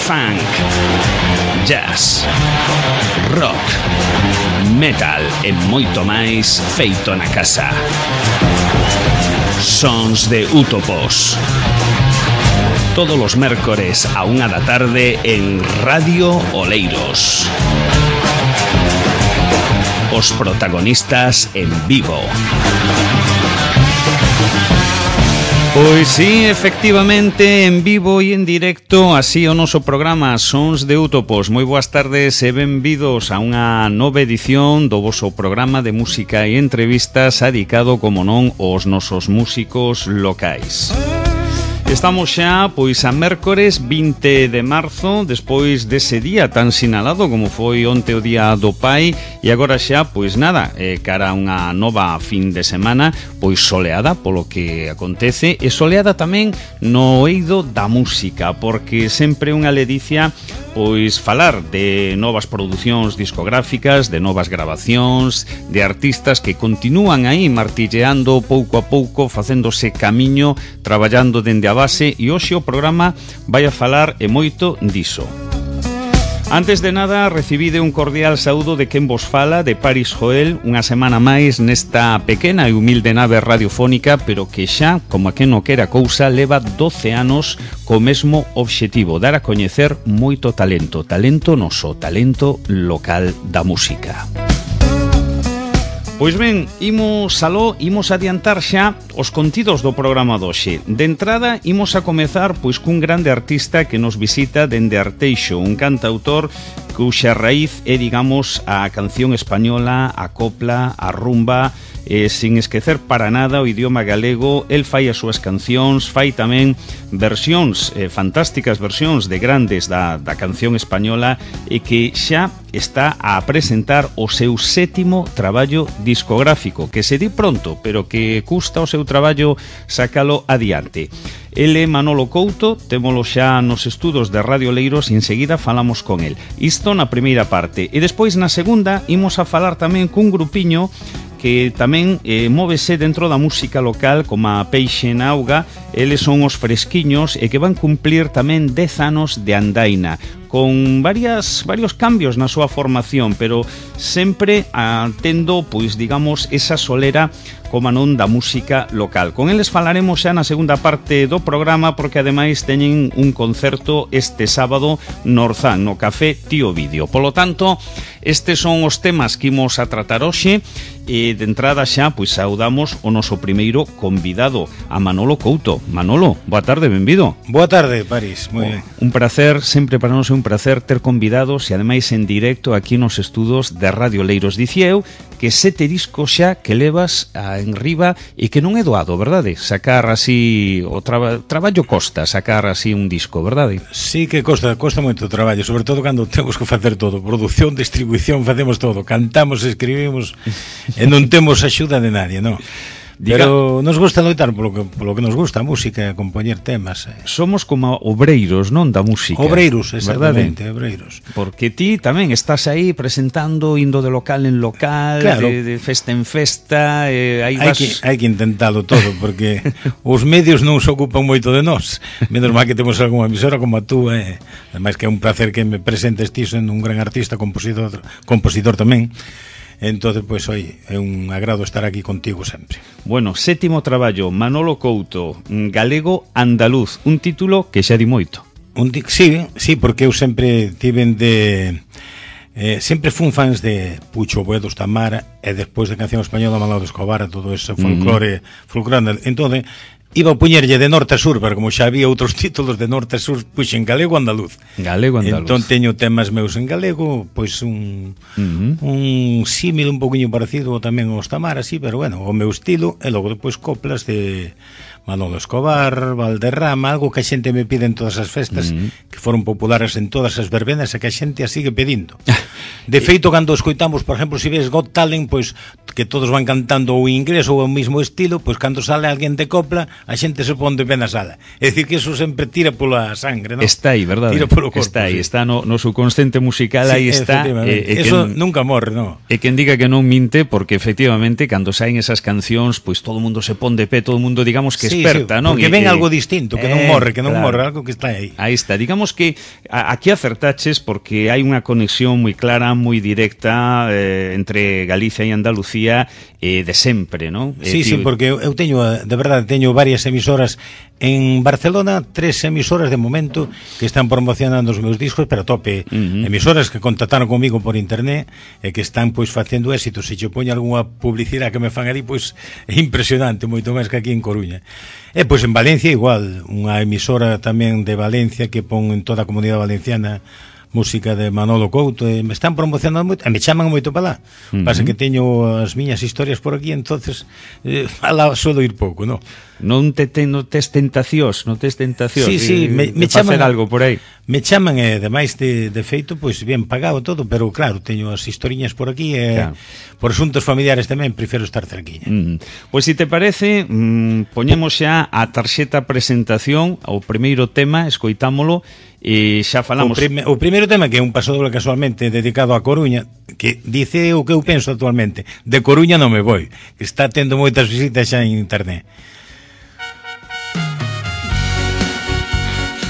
funk, jazz, rock, metal e moito máis feito na casa. Sons de Útopos. Todos os mércores a 1 da tarde en Radio Oleiros. Os protagonistas en vivo. Pois sí, efectivamente, en vivo e en directo, así o noso programa Sons de Útopos. Moi boas tardes e benvidos a unha nova edición do voso programa de música e entrevistas dedicado, como non, aos nosos músicos locais. Estamos xa, pois, a mércores 20 de marzo, despois dese día tan sinalado como foi onte o Día do Pai, e agora xa, pois nada, cara a unha nova fin de semana, pois soleada polo que acontece, e soleada tamén no eido da música, porque sempre unha ledicia, pois, falar de novas producións discográficas, de novas grabacións, de artistas que continúan aí martilleando pouco a pouco, facéndose camiño, traballando dende a base, e hoxe o programa vai a falar e moito diso. Antes de nada, recibide un cordial saúdo de quen vos fala, de Paris Joel, unha semana máis nesta pequena e humilde nave radiofónica, pero que xa, como a quen non quera cousa, leva 12 anos co mesmo obxectivo, dar a coñecer moito talento, talento noso, talento local da música. Pois ben, imos adiantar xa os contidos do programa doxe. De entrada, imos a comezar pois cun grande artista que nos visita dende Arteixo, un cantautor cuxa raíz é, digamos, a canción española, a copla, a rumba, sin esquecer para nada o idioma galego. El fai as súas cancións, fai tamén versións, fantásticas versións de grandes da canción española, e que xa está a presentar o seu 7º traballo discográfico, que se di pronto, pero que custa o seu traballo sacalo adiante. Ele, Manolo Couto, témolo xa nos estudos de Radio Oleiros e enseguida falamos con el. Isto na primeira parte. E despois na segunda imos a falar tamén cun grupiño que tamén móvese dentro da música local como a Peixe na Auga. Eles son os Fresquiños e que van cumplir tamén 10 anos de andaina, con varios cambios na súa formación, pero sempre tendo, pois, digamos, esa solera como non da música local. Con eles falaremos xa na segunda parte do programa, porque ademais teñen un concerto este sábado no Orzán, no Café Tío Vídeo. Polo tanto, estes son os temas que imos a tratar hoxe, e de entrada xa, pois, saudamos o noso primeiro convidado, a Manolo Couto. Manolo, boa tarde, benvido. Boa tarde, París, moi ben. Un placer, sempre para nós é un placer ter convidados, e ademais en directo aquí nos estudos de Radio Oleiros. Dicía eu que 7 discos xa que levas en riba, e que non é doado, verdade? Sacar así, o traballo costa, sacar así un disco, verdade? Sí que costa moito traballo, sobre todo cando temos que facer todo, produción, distribución, facemos todo, cantamos, escribimos, e non temos axuda de nadie, non? Pero nos gusta loitar polo que nos gusta a música, compoñer temas. Somos como obreiros, non, da música. Obreiros, exactamente, obreiros. Porque ti tamén estás aí presentando, indo de local en local, claro, de festa en festa, hai que intentalo todo, porque os medios non se ocupan moito de nós. Menos mal que temos algunha emisora como a tú, ademais que é un placer que me presentes ti, sendo un gran artista, compositor tamén. Entonces, pois, oi, é un agrado estar aquí contigo sempre. Bueno, 7º traballo, Manolo Couto, galego andaluz, un título que xa di moito. Sí, porque eu sempre tiven de... sempre fun fans de Pucho Buedos, Tamara, e despois de canción española, Manolo Escobar, todo ese folclore. Entón, iba a puñerlle de norte a sur, pero como xa había outros títulos de norte a sur, puxen galego andaluz. Galego andaluz. Entón teño temas meus en galego, pois un símil un poquinho parecido tamén aos Tamara, sí, pero bueno, o meu estilo, e logo depois coplas de Manolo Escobar, Valderrama, algo que a xente me pide en todas as festas, que foron populares en todas as verbenas e que a xente a sigue pedindo. De feito, cando escoitamos, por exemplo, se ves Got Talent, pois que todos van cantando o inglés ou o mismo estilo, pois cando sale alguén de copla, a xente se pon de pé na sala. É dicir, que eso sempre tira pola sangre, non? Está aí, verdade? Tira polo corpo. Está aí, sí. Está no subconsciente musical, sí, aí está. Eso nunca morre, non? E quen diga que non minte, porque efectivamente, cando saen esas cancións, pois todo o mundo se pon de pé, todo o mundo, digamos, que desperta, non? Porque ven algo distinto, que non morre, algo que está aí. Aí está, digamos que aquí acertaches porque hai unha conexión moi clara, moi directa entre Galicia e Andalucía de sempre, non? Sí, porque eu teño, de verdade, teño varias emisoras en Barcelona, 3 emisoras de momento que están promocionando os meus discos, pero a tope, emisoras que contactaron comigo por internet e que están pois facendo éxito. Se che poño algunha publicidade que me fan ali, pois é impresionante, moito máis que aquí en Coruña. E pois en Valencia igual, unha emisora tamén de Valencia que pon en toda a comunidade valenciana música de Manolo Couto, e me están promocionando moito, e me chaman moito para lá. Pasa que teño as miñas historias por aquí, entonces alá suelo ir pouco, non? Non tes tentacións, Sí, me chaman facer algo por aí. Me chaman, demais de feito, pois bien pagado todo, pero claro, teño as historiñas por aquí e por asuntos familiares tamén prefiro estar cerquiña. Pois se te parece, poñemos xa a tarxeta presentación, o primeiro tema, escoitámolo, e xa falamos. O primeiro tema, que é un pasodoble casualmente dedicado a Coruña, que dice o que eu penso actualmente: de Coruña non me voi, que está tendo moitas visitas xa en internet.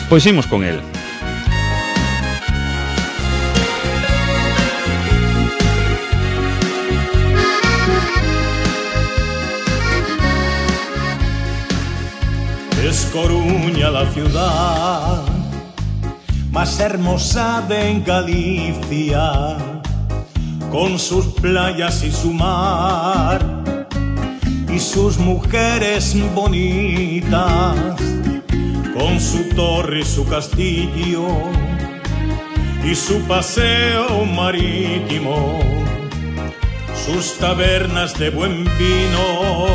Pois imos con el. Es Coruña la ciudad más hermosa de Galicia, con sus playas y su mar y sus mujeres bonitas, con su torre y su castillo y su paseo marítimo, sus tabernas de buen vino,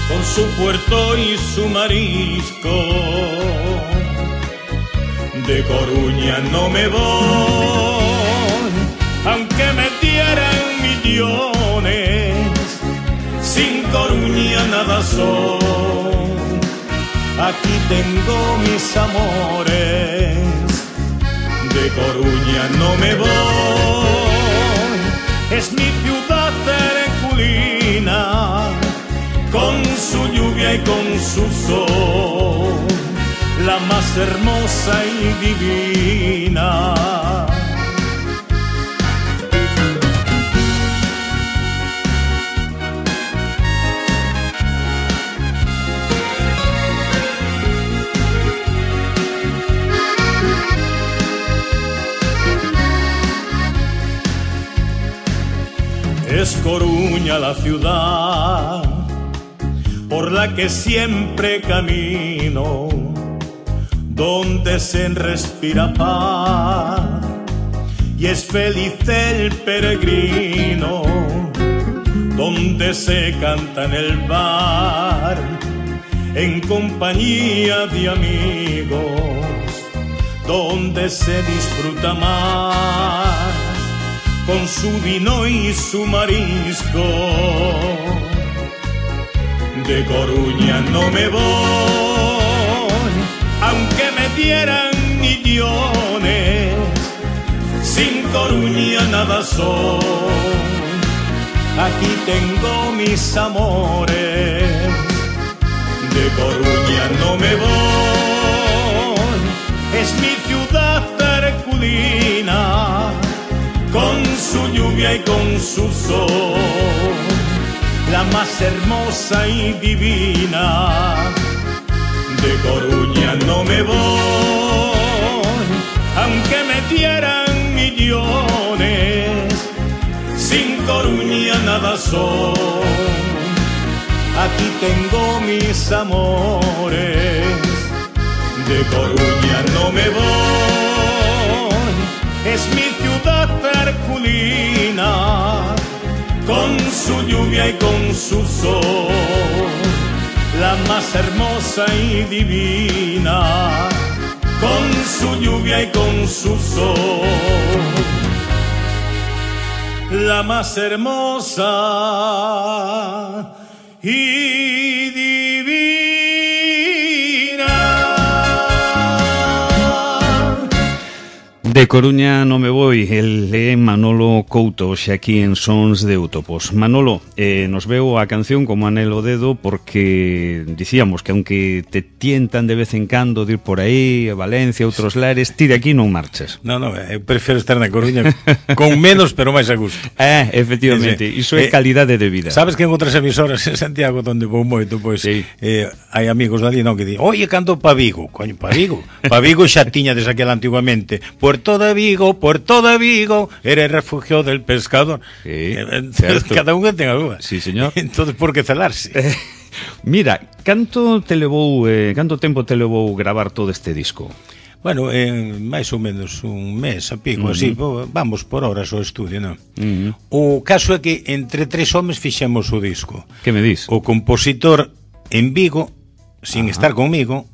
con su puerto y su marisco. De Coruña no me voy, aunque me dieran millones, sin Coruña nada soy. Aquí tengo mis amores, de Coruña no me voy. Es mi ciudad herculina, con su lluvia y con su sol, la más hermosa y divina. Es Coruña la ciudad por la que siempre camino, donde se respira paz y es feliz el peregrino, donde se canta en el bar en compañía de amigos, donde se disfruta más con su vino y su marisco. De Coruña no me voy, aunque me dieran millones, sin Coruña nada soy. Aquí tengo mis amores, de Coruña no me voy. Es mi ciudad herculina, con su lluvia y con su sol, la más hermosa y divina. De Coruña no me voy, aunque me dieran millones, sin Coruña nada soy. Aquí tengo mis amores, de Coruña no me voy. Es mi ciudad herculina, con su lluvia y con su sol, la más hermosa y divina, con su lluvia y con su sol, la más hermosa y divina. De Coruña non me voi, el é Manolo Couto, xe aquí en Sons de Útopos. Manolo, nos veo a canción como anelo dedo porque dicíamos que aunque te tientan de vez en cando de ir por aí, a Valencia, outros lares, ti de aquí non marchas. Non, eu prefiro estar na Coruña con menos, pero máis a gusto. Efectivamente, iso é calidade de vida. Sabes que en outras emisoras en Santiago, onde vou moito, pois, sí, hai amigos dali, non, que di, oye, canto pa Vigo. Coño, pa Vigo? Pa Vigo xa tiña desde aquel antiguamente. Puerto de Vigo, era el refugio del pescador. Sí, cada un ten a súa. Sí, señor. Entonces, por que celarse? Mira, canto tempo te levou gravar todo este disco? Bueno, máis ou menos un mes a pico, así, vamos por horas ao estudio, non? O caso é que entre 3 homes fixemos o disco. Que me dis? O compositor en Vigo, sin estar conmigo,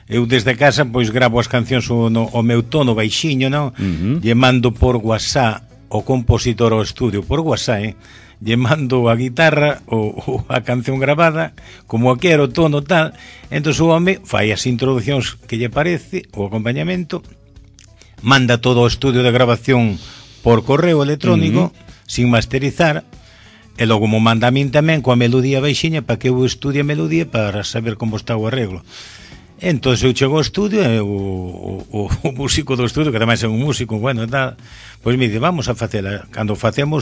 eu desde casa pois gravo as cancións o meu tono baixiño, non? Lle mando por WhatsApp o compositor ao estudio, por WhatsApp, lle mando a guitarra ou a canción gravada, como a quero, tono, tal. Entón o home fai as introducións que lle parece, o acompañamento, manda todo o estudio de grabación por correo electrónico, sin masterizar, e logo mo manda a min tamén coa melodía baixiña para que eu estudie a melodía para saber como está o arreglo. Entón eu chego ao estudio e o músico do estudio, que ademais é un músico bueno e tal, pois me dice, vamos a facela. Cando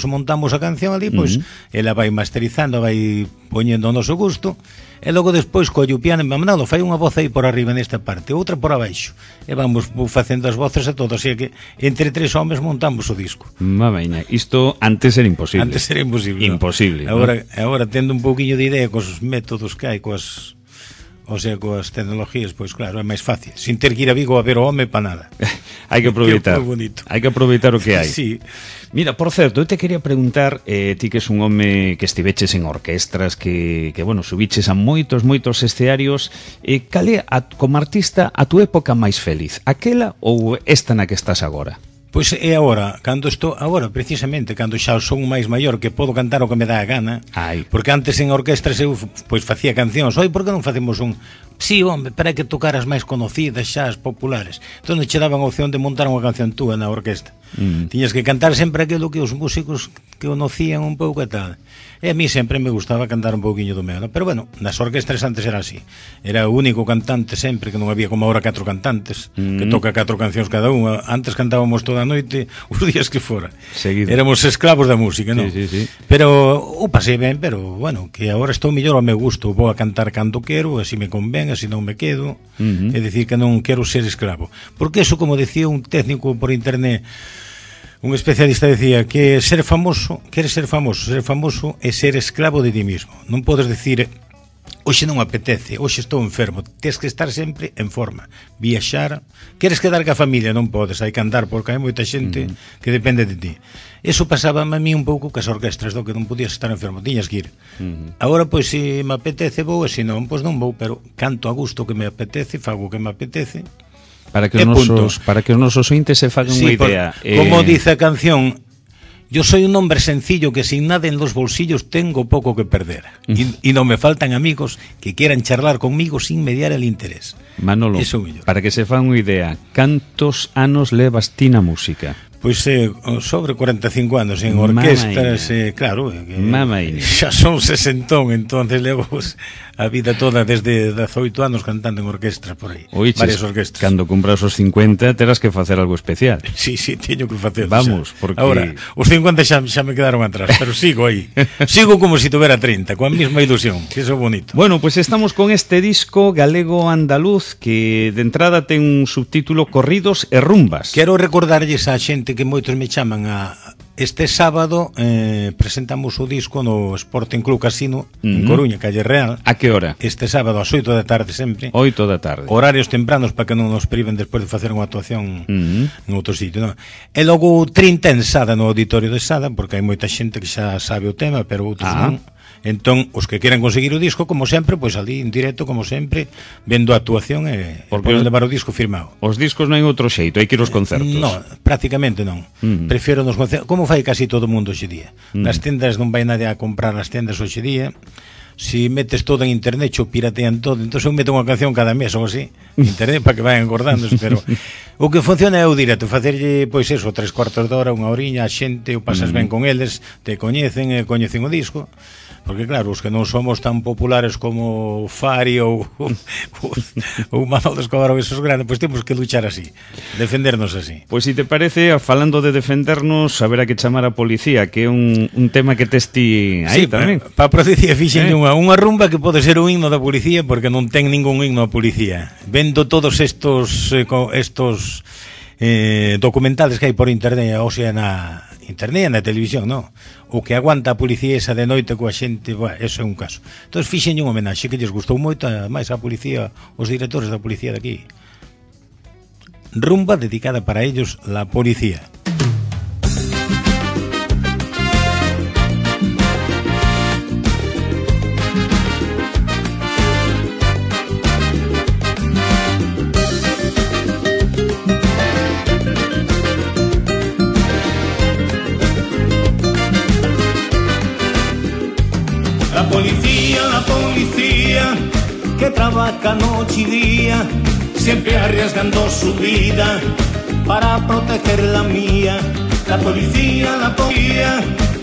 montamos a canción ali, pois ela vai masterizando, vai poñendo o noso gusto, e logo despois colle o piano e Manolo, fai unha voz aí por arriba nesta parte, outra por abaixo, e vamos facendo as voces a todos, así que entre 3 homes montamos o disco. Mamaina, isto antes era imposible. Antes era imposible. Imposible. Agora tendo un pouquiño de idea cos métodos que hai, coas tecnologías, pois claro, é máis fácil, sin ter que ir a Vigo a ver o home para nada. Hai que aproveitar. Hai que aproveitar o que hai. Sí. Mira, por certo, eu te quería preguntar, ti que és un home que estiveches en orquestras, que bueno, subiches a moitos escenarios, cal é, como artista, a tu época máis feliz? Aquela ou esta na que estás agora? Pois é agora, precisamente, cando xa son máis maior, que podo cantar o que me dá a gana. Porque antes en orquestras eu pois facía cancións. Oi, por que non facemos un? Sí, home, para que tocaras máis conocidas xa, as populares. Entón che daban a opción de montar unha canción túa na orquesta. Tiñas que cantar sempre aquilo que os músicos que conocían un pouco e tal. E a mí sempre me gustaba cantar un pouquiño do meu, ¿no? Pero bueno, nas orquestras antes era así. Era o único cantante sempre, que non había como ahora 4 cantantes, que toca 4 cancións cada unha. Antes cantábamos toda a noite, os días que fora. Seguido. Éramos esclavos da música, non? Sí. Pero o pasei ben, pero bueno, que agora estou mellor ao meu gusto. Vou a cantar cando quero, así me convén, así non me quedo. É dicir, que non quero ser esclavo. Porque eso, como decía un técnico por internet, un especialista decía que ser famoso é ser esclavo de ti mismo. Non podes decir, hoxe non apetece, hoxe estou enfermo. Tens que estar sempre en forma, viaxar. Queres quedar ca familia? Non podes, hai que andar, porque hai moita xente que depende de ti. Eso pasaba a mí un pouco cas orquestras, do que non podías estar enfermo, tiñas que ir. Agora, pois, se me apetece vou, e se non, pois non vou, pero canto a gusto que me apetece, fago o que me apetece. Para que os nosos ointes se fagan unha idea. Como dice a canción, yo soy un hombre sencillo que sin nada en los bolsillos tengo poco que perder. Y no me faltan amigos que quieran charlar conmigo sin mediar el interés. Manolo, para que se fan unha idea, cantos anos levas ti na música? Pois sobre 45 anos en orquestras, claro, xa son 60, entonces levo a vida toda desde 18 anos cantando en orquestras por aí. Varias orquestras. Cando cumpras os 50 terás que facer algo especial. Sí, teño que facer. Vamos, porque agora, os 50 xa me quedaron atrás, pero sigo aí. Sigo como se tuvera 30, coa mesma ilusión, que iso é bonito. Bueno, pues estamos con este disco galego andaluz que de entrada ten un subtítulo Corridos e Rumbas. Quero recordarlles a xente que moitos me chaman a este sábado presentamos o disco no Sporting Club Casino en Coruña, Calle Real. A que hora? Este sábado ás 8 da tarde sempre. 8 da tarde. Horarios tempranos para que non nos priven despois de facer unha actuación en outro sitio, non? E logo 30 en Sada, no auditorio de Sada, porque hai moita xente que xa sabe o tema, pero outros non. Entón, os que queran conseguir o disco, como sempre, pois ali en directo, como sempre, vendo a actuación e poden levar o disco firmado. Os discos non hai outro xeito, hai que ir aos concertos. Non, prácticamente non. Prefiero nos concertos, como fai casi todo o mundo hoxe día. Nas tendas non vai nadie a comprar as tendas hoxe día. si metes todo en internet, xo piratean todo, entón eu meto unha canción cada mes ou así, internet, para que vayan acordándose, pero o que funciona é o directo, facerlle, pois eso, 3/4 de hora, unha horiña, a xente, o pasas ben con eles, te coñecen o disco, porque claro, os que non somos tan populares como Fari ou Manolo Escobar ou esos grandes, pois temos que luchar así, defendernos así. Pois se te parece, falando de defendernos, haberá que chamar a policía, que é un tema que tes ti aí tamén. Para a policía fixen unha rumba que pode ser un himno da policía, porque non ten ningún himno a policía. Vendo todos estos documentales que hai por internet, ou sea, na internet e na televisión, non? O que aguanta a policía esa de noite coa xente, eso é un caso. Entón fixen un homenaxe que lles gustou moito, máis a policía, os directores da policía de aquí. Rumba dedicada para ellos, la policía. La policía que trabaja noche y día, siempre arriesgando su vida para proteger la mía. La policía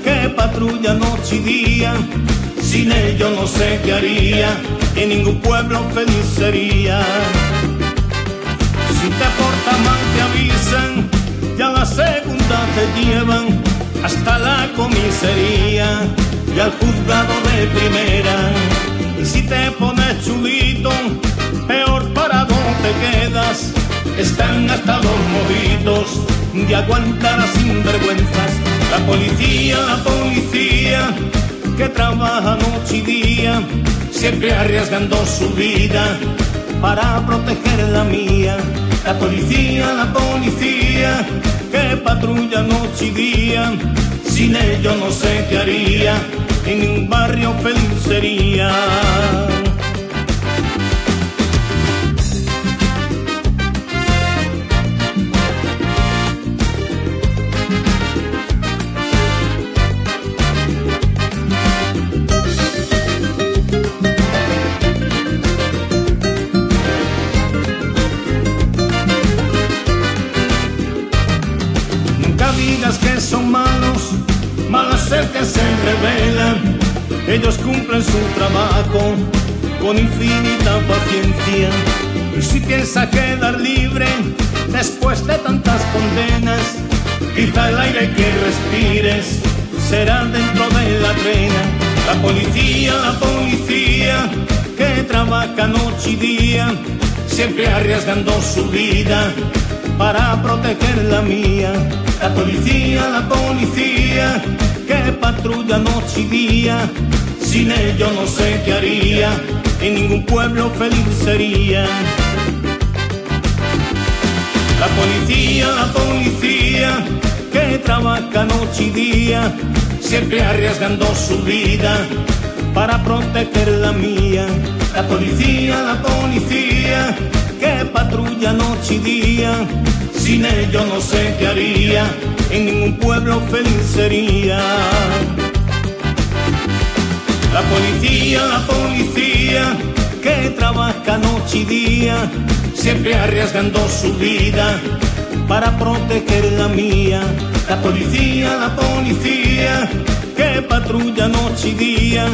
que patrulla noche y día, sin ello no sé qué haría, en ningún pueblo feliz sería. Si te portas mal te avisan, ya la segunda te llevan hasta la comisaría y al juzgado de primera. Y si te pones chulito, peor parado te quedas. Están hasta los mojitos de aguantar a sinvergüenzas. La policía que trabaja noche y día, siempre arriesgando su vida para proteger la mía. La policía que patrulla noche y día, sin ello no sé qué haría, en un barrio feliz sería. Nunca digas que son malos, malos el que se rebelan. Ellos cumplen su trabajo con infinita paciencia. Y si piensa quedar libre después de tantas condenas, quizá el aire que respires será dentro de la trena. La policía que trabaja noche y día, siempre arriesgando su vida para proteger la mía. La policía que patrulla noche y día, sin ello no sé qué haría, en ningún pueblo feliz sería. La policía que trabaja noche y día, siempre arriesgando su vida para proteger la mía. La policía que patrulla noche y día, sin ello no sé qué haría, en ningún pueblo feliz sería. La policía que trabaja noche y día, siempre arriesgando su vida para proteger la mía. La policía que patrulla noche y día,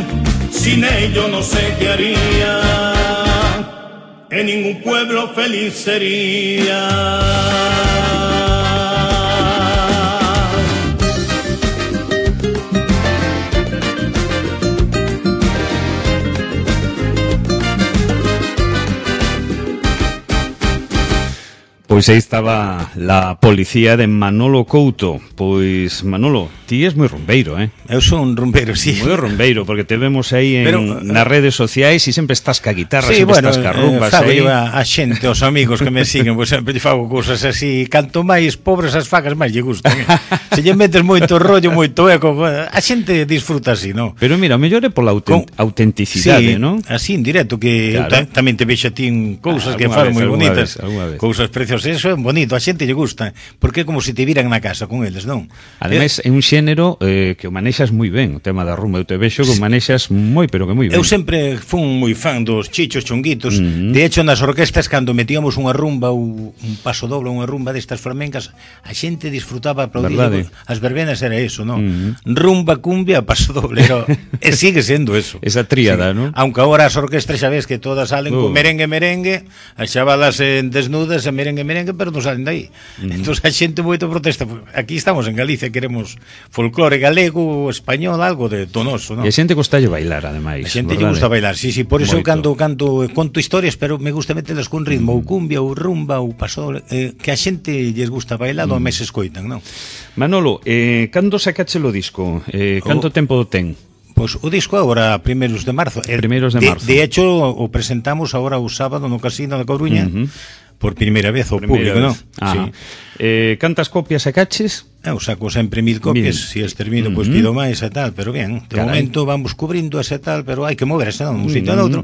sin ello no sé qué haría, en ningún pueblo feliz sería. Pois aí estaba la policía de Manolo Couto. Pois, Manolo, ti és moi rumbeiro, Eu son un rumbeiro, sí. Moi rumbeiro, porque te vemos aí nas redes sociais e sempre estás ca guitarra, sí, sempre estás ca rumbas aí. A xente, os amigos que me siguen, pois sempre lle fago cousas así. Canto máis pobres as facas, máis lle gustan. Se lle metes moito rollo, moito eco, a xente disfruta así, non? Pero mira, o mellor é pola autenticidade, sí, non? Así, en directo, que claro. Tamén te vexo a ti en cousas que fan moi bonitas, cousas preciosas. o sea, eso é bonito, a xente lle gusta, porque é como se te viran na casa con eles, non? Ademais, é un xénero que o manexas moi ben, o tema da rumba, eu te vexo que o manexas moi, pero que moi ben. Eu sempre fun moi fan dos chichos chonguitos, de hecho, nas orquestas, cando metíamos unha rumba ou un paso doble, unha rumba destas flamencas, a xente disfrutaba, aplaudir, as verbenas era eso, non? Rumba, cumbia, paso doble, e sigue sendo eso. Esa tríada, non? Aunque agora as orquestras xa ves que todas salen con merengue, as chavalas desnudas e merengue, pero non salen dai. Entón a xente moito protesta. Aquí estamos en Galicia, queremos folclore galego, español, algo de tonoso, non? E a xente gostalle bailar, ademais. A xente lle gusta bailar, sí, por iso eu conto historias, pero me gusta metelas con ritmo, ou cumbia, ou rumba, ou paso, que a xente lles gusta bailar, ou mes escoitan, non? Manolo, cando sacache o disco? Canto tempo ten? Pois o disco agora primeiros de marzo. Primeiros de marzo. De hecho, o presentamos agora o sábado no Casino da Coruña, por primeira vez ao público, non? Sí. Cantas copias sacaches? Eu saco sempre 1000 copias, se as termino, pois pido máis e tal, pero ben, de momento vamos cubrindo ese tal, pero hai que moverse, non? Un sitio ao outro.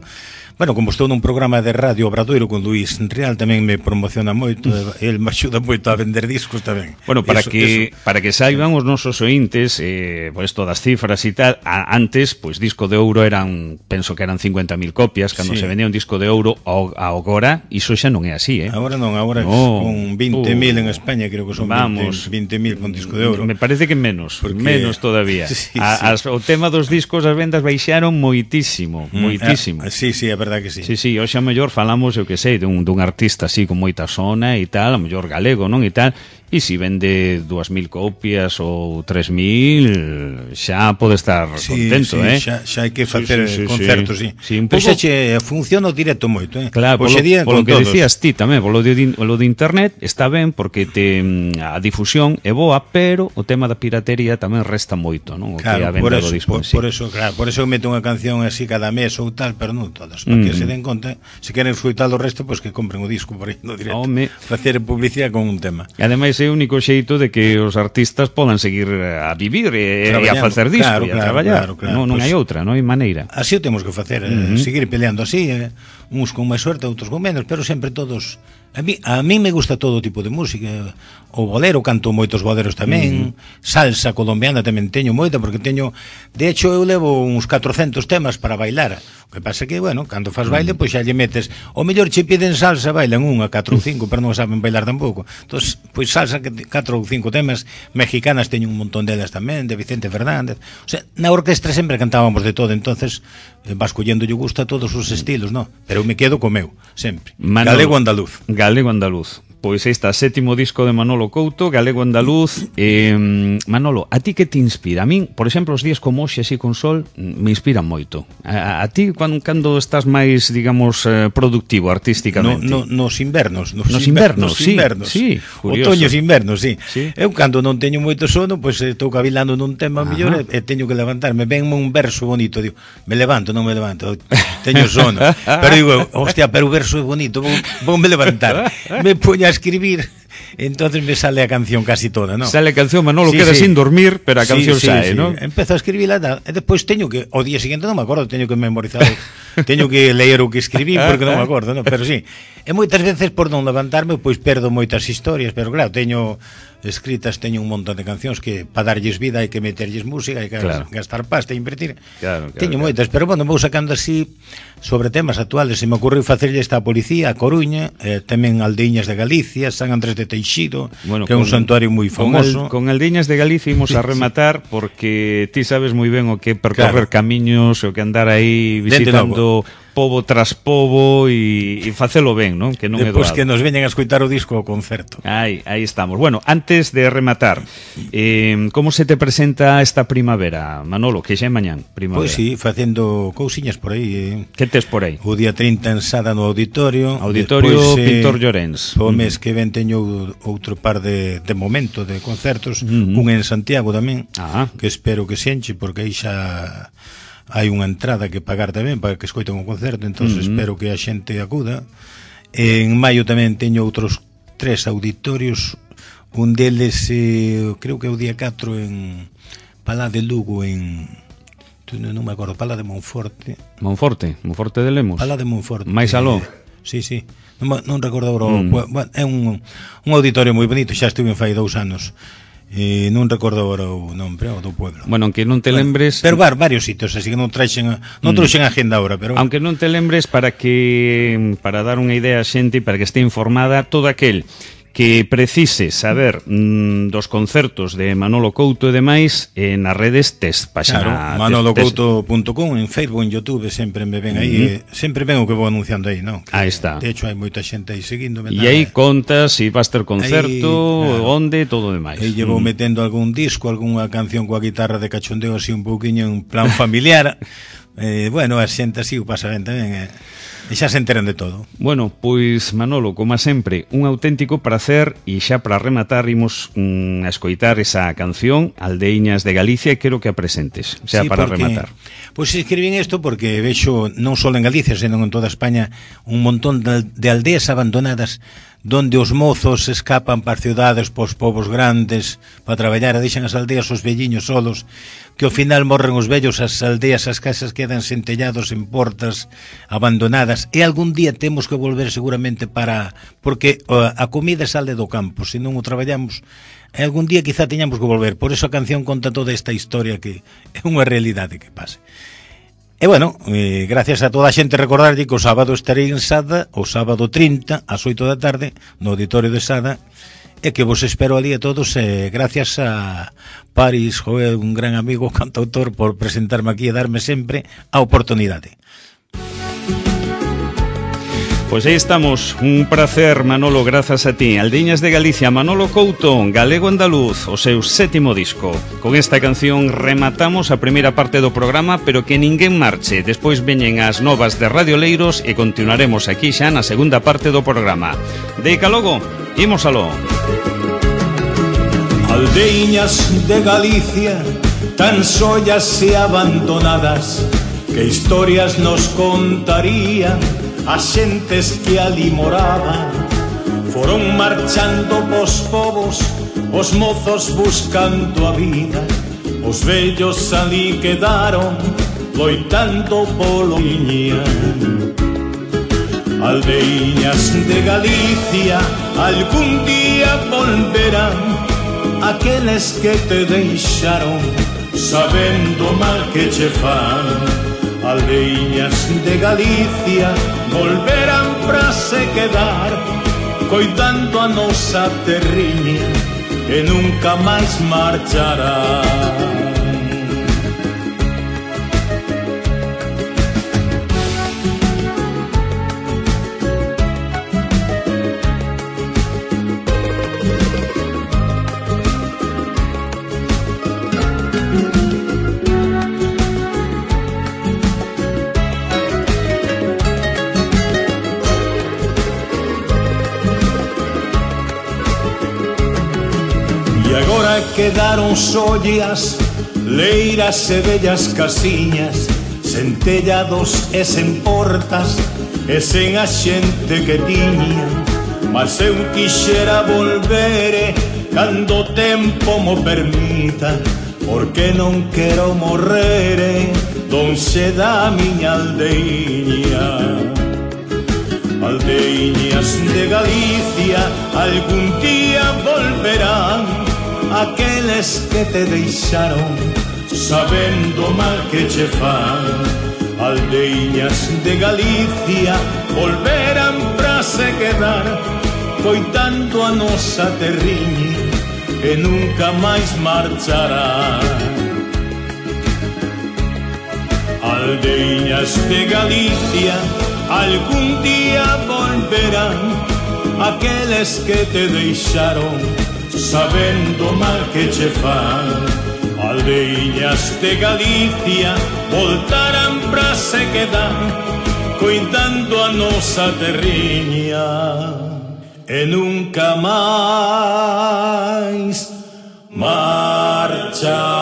Bueno, como estou nun programa de radio Obradoiro con Luís Real, tamén me promociona moito, el me axuda moito a vender discos tamén. Bueno, para que saiban os nosos ointes, pues todas cifras e tal, antes, pues disco de ouro penso que eran 50.000 copias, cando se vendía un disco de ouro, agora, iso xa non é así, Agora non, agora con 20.000 en España, creo que son 20.000 con disco de ouro. Me parece que menos todavía. O tema dos discos, as vendas baixaron moitísimo. Sí, é verdade que sí. Sí, hoxe a mellor falamos, eu que sei, dun artista así con moita sona e tal, a mellor galego, non? E tal, e se vende 2.000 copias ou 3.000, xa pode estar contento, xa hai que facer concertos, sí. Pois xa funciona o directo moito, Claro, polo que decías ti tamén, polo de internet está ben, porque a difusión é boa, pero o tema da piratería tamén resta moito, non? O que a venda do disco. Por eso eu meto unha canción así cada mes ou tal, pero non todas, para que se den conta, se queren escoitar o resto, pois que compren o disco por aí no directo, facer publicidade con un tema. E ademais é o único xeito de que os artistas podan seguir a vivir e a facer disco e a traballar. Non hai outra, non hai maneira. Así o temos que facer, seguir peleando así, uns con máis suerte, outros con menos, pero sempre todos. A mí me gusta todo tipo de música. O bolero, canto moitos boleros tamén, salsa colombiana tamén teño moita, porque de hecho eu levo uns 400 temas para bailar. O que pasa que, bueno, cando faz baile, pois xa lle metes, o mellor che piden salsa, bailan 1, 4 ou 5, pero non saben bailar tampouco. Entón, pois salsa, 4 ou 5 temas, mexicanas teño un montón delas tamén, de Vicente Fernández. O sea, na orquestra sempre cantábamos de todo, entonces vas collendo lle gusta todos os estilos, non? Pero eu me quedo co meu, sempre. Galego andaluz. Pois está, 7º disco de Manolo Couto, Galego Andaluz. Manolo, a ti que te inspira? A min, por exemplo, os días como hoxe, así con sol, me inspiran moito. A ti, cando estás máis, digamos, productivo artísticamente? Nos invernos. Nos invernos, sí. Otoños, invernos, sí. Eu, cando non teño moito sono, pois estou cavilando nun tema mellor e teño que levantarme. Venme un verso bonito, digo, me levanto, non me levanto, teño sono. Pero digo, hostia, pero o verso é bonito, vou me levantar. Me poño a escribir, entonces me sale a canción casi toda, ¿no? Sale a canción, Manolo queda sin dormir, pero a canción sae, ¿no? Empezo a escribirla e despois teño que, o día seguinte non me acordo, teño que memorizar, teño que ler o que escribí porque non me acordo, ¿no? Pero sí, e moitas veces por non levantarme, pois perdo moitas historias, pero claro, teño un montón de cancións que para darlles vida hai que meterlles música, hai que gastar pasta e invertir. Teño moitas, pero bueno, vou sacando así sobre temas actuales. Se me ocurriu facerlle esta a Policía, a Coruña, tamén Aldeiñas de Galicia, San Andrés de Teixido, que é un santuario moi famoso. Con Aldeiñas de Galicia imos a rematar, porque ti sabes moi ben o que percorrer camiños, o que andar aí visitando pobo tras pobo e facelo ben, non? Que non é doado. Depois que nos veñan a escoitar o disco ao concerto. Aí estamos. Bueno, antes de rematar, como se te presenta esta primavera, Manolo, que xa é mañán, primavera? Pois sí, facendo cousiñas por aí. Que tes por aí? O día 30 en Sada no Auditorio. Auditorio Pintor Llorens. O mes que ven teño outro par de momento de concertos, un en Santiago tamén, que espero que se enche, porque aí xa hai unha entrada que pagar tamén para que escoiten o concerto, entón espero que a xente acuda. En maio tamén teño outros 3 auditorios, un deles creo que é o día 4 en Palá de Lugo, non me acordo, Palá de Monforte de Lemos, Palá de Monforte, máis aló. Sí, non recordo agora, bueno, é un auditorio moi bonito, xa estive fai 2 anos. E non recordo agora o nome do pueblo. Bueno, aunque non te lembres... Pero varios sitios, así que non trouxen agenda agora, pero... Aunque non te lembres, para dar unha idea a xente, para que este informada, todo aquel que precise saber dos concertos de Manolo Couto e demais, nas redes tes páxina. Claro, manolocouto.com, en Facebook, en YouTube, sempre me ven aí, sempre ven o que vou anunciando aí, non? Aí está. De hecho, hai moita xente aí seguíndome. E aí contas se vas ter concerto, onde, todo demais. E llevo metendo algún disco, algunha canción coa guitarra de cachondeo así un pouquiño en plan familiar. Bueno, a xente así o pasa ben tamén, e xa se enteran de todo. Bueno, pois Manolo, como sempre, un auténtico placer, e xa para rematar imos a escoitar esa canción Aldeiñas de Galicia, e quero que a presentes, xa sí, para rematar. Pois escribín isto porque vexo non só en Galicia, senón en toda España, un montón de aldeas abandonadas donde os mozos escapan para as cidades, para os povos grandes, para traballar, e deixan as aldeas os velliños solos, que ao final morren os vellos, as aldeas, as casas quedan sen tellados, en portas, abandonadas, e algún día temos que volver seguramente porque a comida sale do campo, se non o traballamos, e algún día quizá teñamos que volver. Por eso a canción conta toda esta historia que é unha realidade que pase. E bueno, gracias a toda a xente, recordarlle que o sábado estarei en Sada, o sábado 30 ás 8 da tarde no auditorio de Sada, e que vos espero ali a todos, gracias a Paris Joel, un gran amigo cantautor, por presentarme aquí e darme sempre a oportunidade. Pois aí estamos, un placer, Manolo, grazas a ti. Aldeiñas de Galicia, Manolo Couto, galego andaluz, o seu 7º disco. Con esta canción rematamos a primeira parte do programa, pero que ninguén marche. Despois veñen as novas de Radio Leiros e continuaremos aquí xa na segunda parte do programa. Deica logo, imos aló. Aldeiñas de Galicia, tan sollas e abandonadas, que historias nos contarían as xentes que ali moraban. Foron marchando os povos, os mozos buscando a vida, os vellos ali quedaron loitando polo viña. Aldeiñas de Galicia, algún día volverán aqueles que te deixaron, sabendo mal que che fan. Aldeiñas de Galicia volverán pra se quedar, coidando a nosa terriña, e nunca máis marcharán. Quedaron sollas, leiras e bellas casiñas, sen tellados e sen portas, e sen a xente que tiña. Mas eu quixera volvere cando o tempo mo permita, porque non quero morrere lonxe da miña aldeiña. Aldeiñas de Galicia algún día volverán aqueles que te deixaron, sabendo mal que che fan. Aldeiñas de Galicia volverán pra se quedar, coitando a nosa terriña, e nunca máis marcharán. Aldeiñas de Galicia algún día volverán aqueles que te deixaron, sabendo mal que che fan. Aldeiñas de Galicia voltarán pra se quedar, coidando a nosa terriña, e nunca máis marcharán.